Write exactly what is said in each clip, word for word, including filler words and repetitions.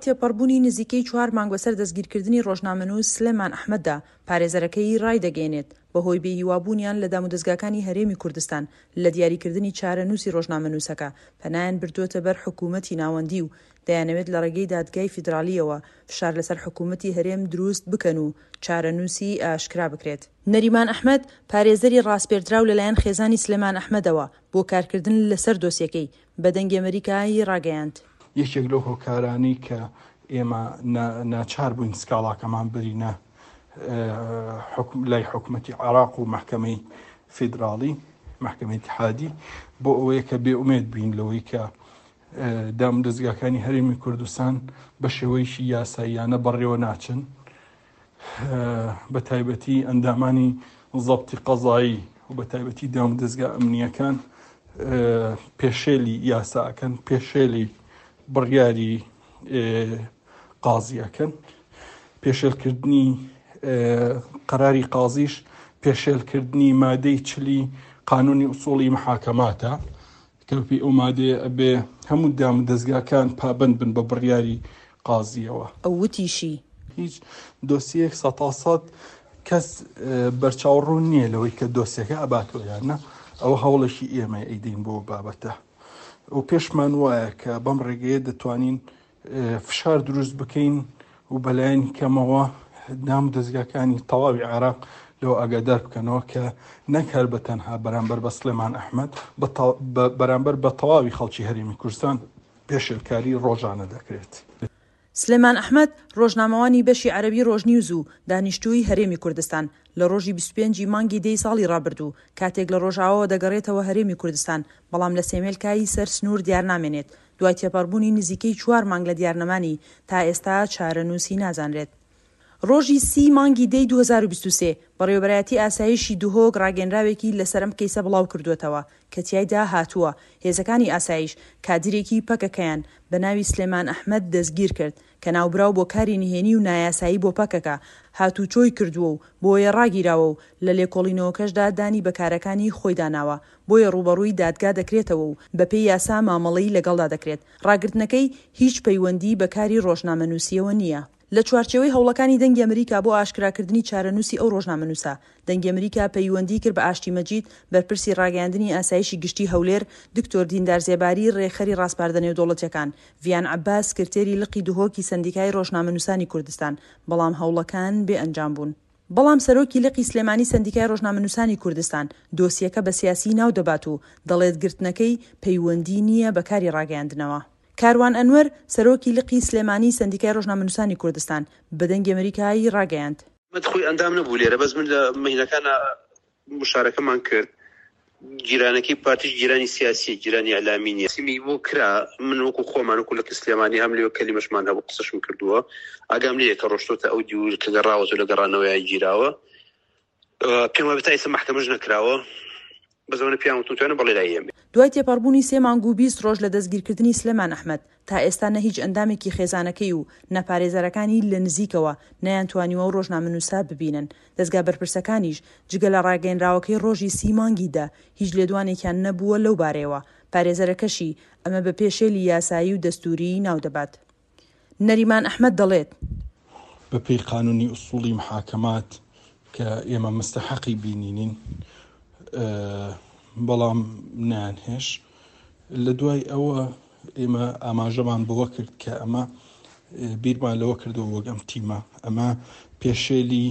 دوای تێپەڕبوونی نزیکەی چوار مانگ بەسەر دەستگیرکردنی ڕۆژنامەنووس سلێمان ئەحمەددا، پارێزەرەکەی ڕایدەگەیەنێت، بەهۆی بێهیوابوونیان لە دامودەزگاکانی هەرێمی کوردستان لە دیاریکردنی چارەنووسی ڕۆژنامەنووسەکە، پەنایان بردووەتە بەر حکوومەتی ناوەندی و دەیانەوێت لە ڕێگەی دادگای فیدراڵییەوە فشار لەسەر حکوومەتی هەرێم دروست بکەن و چارەنووسی ئاشکرا بکرێت. نەریمان ئەحمەد، پارێزەری ڕاسپێردراو لەلایەن خێزانی سلێمان ئەحمەدەوە بۆ کارکردن لەسەر دۆسیەکەی، بە دەنگی ئەمەریکای ڕاگەیاند. یەکێک لەو هۆکارانەی کە ئێمە ناچار بووین سکاڵاکەمان بەرینە لای حکوومەتی عێراق و مەحکەمەی فیدراڵی، مەحکەمەی ئیتیحادی، بۆ ئەوەیە کە بێئومێد بین لەوەی کە دام دەزگاکانی هەرێمی کوردستان بە شێوەیەکی یاساییانە بەڕێوە ناچن، بە تایبەتی ئەندامانی زەبتی قەزایی و بە تایبەتی دام دەزگا ئەمنیەکان پێشێلی یاساکەن، پێشێلی بڕیاری قازیەکەن، پێشێلکردنی قەراری قازیش پێشێلکردنی مادەی چلی قانونی ئوسوڵی محاکەماتە کە پێی ئەو مادەیە ئەبێ هەموو دام دەزگاکان پابەند بن بە بڕیاری قازیەوە. ئەو وتیشی، هیچ دۆسیەک سەتا سەد کەس بەرچاوڕوون نییە لەوەی کە دۆسیەکە ئەباتەوە یان نا. ئەوە هەوڵێکی ئێمە ئەیدەین بۆ بابەتە و پێشمان وایە کە بەم ڕێگەیە دەتوانین فشار دروست بکەین و بەلایەنی کەمەوە دام دەزگاکانی تەواوی عێراق لەوە ئاگادار بکەنەوە کە نەک هەر بە تەنها بەرامبەر بە سلێمان ئەحمەد، بەرامبەر بە تەواوی خەڵکی هەرێمی کوردستان پێشێلکاری ڕۆژانە دەکرێت. سلێمان ئەحمەد، ڕۆژنامەوانی بەشی عەرەبی ڕۆژنیوز و دانیشتووی هەرێمی کوردستان، لە ڕۆژی بیست و پێنج ی مانگی دەی ساڵی ڕابردوو، کاتێک لە ڕۆژئاواوە دەگەڕێتەوە هەرێمی کوردستان، بەڵام لە سێمێلکای سەر سنوور دیارنامێنێت. دوای تێپەڕبوونی نزیکەی چوار مانگ لە دیارنەمانی، تا ئێستا چارەنووسی نازانرێت. ڕۆژی سی مانگی دەی دوو هەزار و بیست و سێ، بەڕێوەبەرایەتی ئاسایشی دهۆک ڕاگەیەنراوێکی لەسەر ئەم کەیسە بڵاوکردووەتەوە کە تیایدا هاتووە، هێزەکانی ئاسایش کادیرێکی پەکەکەیان بە ناوی سلێمان ئەحمەد دەستگیرکرد کە ناوبراو بۆ کاری نهێنی و نایاسایی بۆ پەکەکە هاتووچۆی کردووە و بۆیە ڕاگیراوە و لە لێکۆڵینەوەکەشدا دانی بە کارەکانی خۆیدا ناوە، بۆیە ڕووبەڕووی دادگا دەکرێتەوە و بەپێی یاسا مامەڵەی لەگەڵدا دەکرێت. ڕاگرتنەکەی هیچ پەیوەندیی بە کاری ڕۆژنامەنووسییەوە نییە. لە چوارچێوەی هەوڵەکانی دەنگی ئەمریکا بۆ ئاشکراکردنی چارەنووسی ئەو ڕۆژنامەنووسە، دەنگی ئەمریکا پەیوەندی کرد بە ئاشتی مەجید، بەرپرسی ڕاگەیاندنی ئاسایشی گشتی هەولێر، دکتۆر دیندار زێباری ڕێکخەری ڕاسپاردە نێودەوڵەتیەکان، ڤیان عەباس سکرتێری لقی دهۆکی سەندیکای ڕۆژنامەنووسانی کوردستان، بەڵام هەوڵەکان بێ ئەنجام بوون. بەڵام سەرۆکی لقی سلێمانی سەندیکای ڕۆژنامەنووسانی کوردستان دۆسیەکە بە سیاسی ناو دەبات و دەڵێت گرتنەکەی پەیوەندی نییە بە کاری ڕاگەیاندنەوە. کاروان ئەنوەر، سەرۆکی لقی سلێمانی سەندیکای ڕۆژنامەنووسانی کوردستان، بە دەنگی ئەمریکای ڕاگەیاند. ئەحمەد خۆی ئەندام نەبوو لێرە، بەس من لە مەهینەکانا مشارەکەمان کرد، گیرانەکەی پارتیش گیرانی سیاسیە، گیرانی ئیعلامی نیە. سیمی بۆ کرا، من وەکو خۆمان وەکو لقی سلێمانی هەم لەوێ کەلیمەشمان هەبوو قسەشم کردووە، ئاگام لێیە کە ڕۆشتۆتە ئەو دیو کە گەڕاوەتەوە لە گەڕانەوەیا گیراوە، پێم وابێ تا ئێستا مەحکەمەش نەکراوە، بەس ئەوەنە پێیان وتوم توانە بەڵێ لای ئێمەیە. دوای تێپەڕبوونی سێ مانگ و بیست ڕۆژ لە دەستگیرکردنی سلێمان ئەحمەد، تا ئێستا نە هیچ ئەندامێکی خێزانەکەی و نە پارێزەرەکانی لە نزیکەوە نەیانتوانیوە ئەو ڕۆژنامەنووسە ببینن، دەزگا بەرپرسەکانیش جگە لە ڕاگەیەنراوەکەی ڕۆژی سی مانگی دە هیچ لێدوانێکیان نەبووە لەو بارەیەوە، پارێزەرەکەشی ئەمە بە پێشێلی یاسایی و دەستووریی ناودەبات. نەریمان ئەحمەد دەڵێت. بەپێی قانونی ئوسوڵی محاکەمات کە ئێمە مستەحەقی بینینین، بەڵام نایانهێش. لە دوای ئەوە ئێمە ئاماژەمان بەوە کرد کە ئەمە بیرمان لەوە کردەوە وەک ئەم تیمە ئەمە پێشێلی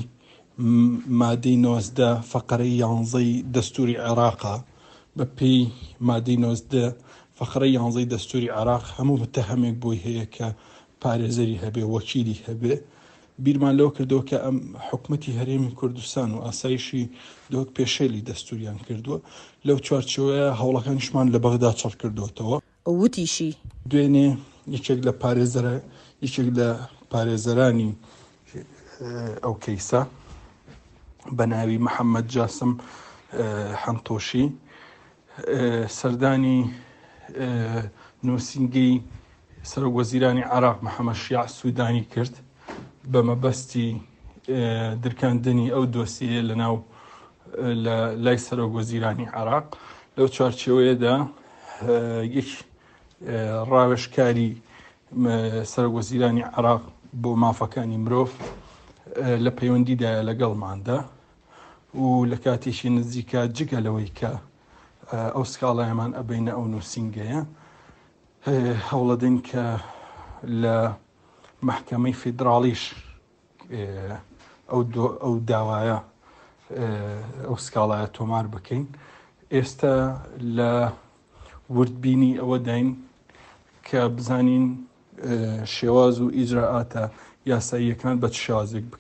مادەی نۆزدە فەقەرەی یانزەی دەستوری عێراقە. بە پێی مادەی نۆزدە فەقەرەی یانزەی دەستوری عێراق هەموو متەهەمێک بۆی هەیە کە پارێزەری هەبێ، وەکیلی هەبێ. بیرمان لەوە کردەوە کە ئەم حکومەتی هەرێمی کوردستان و ئاسایشی دهۆک پێشێلی دەستوریان کردووە. لەو چوارچێوەیە هەوڵەکانیشمان لە بەغدا چڕ کردووەتەوە. وتیشی، دوێنێ یەکێک لە پارێزەرە یەکێک لە پارێزەرانی ئەو کەیسە بە ناوی محەممەد جاسم حەنتۆشی سەردانی نووسینگەی سەرۆک وەزیرانی عێراق محەممەد شیاع سوودانی کرد بە مەبەستی درکاندنی ئەو دۆسیەیە لەناو لە لای سەرۆک وەزیرانی عێراق. لەو چوارچێوەیەدا یەک ڕاوێژکاری سەرۆک وەزیرانی عێراق بۆ مافەکانی مرۆڤ لە پەیوەندیدایە لەگەڵماندا و لە کاتێکی نزیکە جگە لەوەی کە ئەو سکاڵایەمان ئەبەینە ئەو نووسینگەیە هەوڵەدەین کە لە مەحکەمەی فیدراڵیش ئەو ئەو داوایە ئەو سکاڵایە تۆمار بکەین. ئێستا لە وردبینی ئەوەداین کە بزانین شێواز و ئیجرائاتە یاساییەکان بە چ شێوازێک بکەین.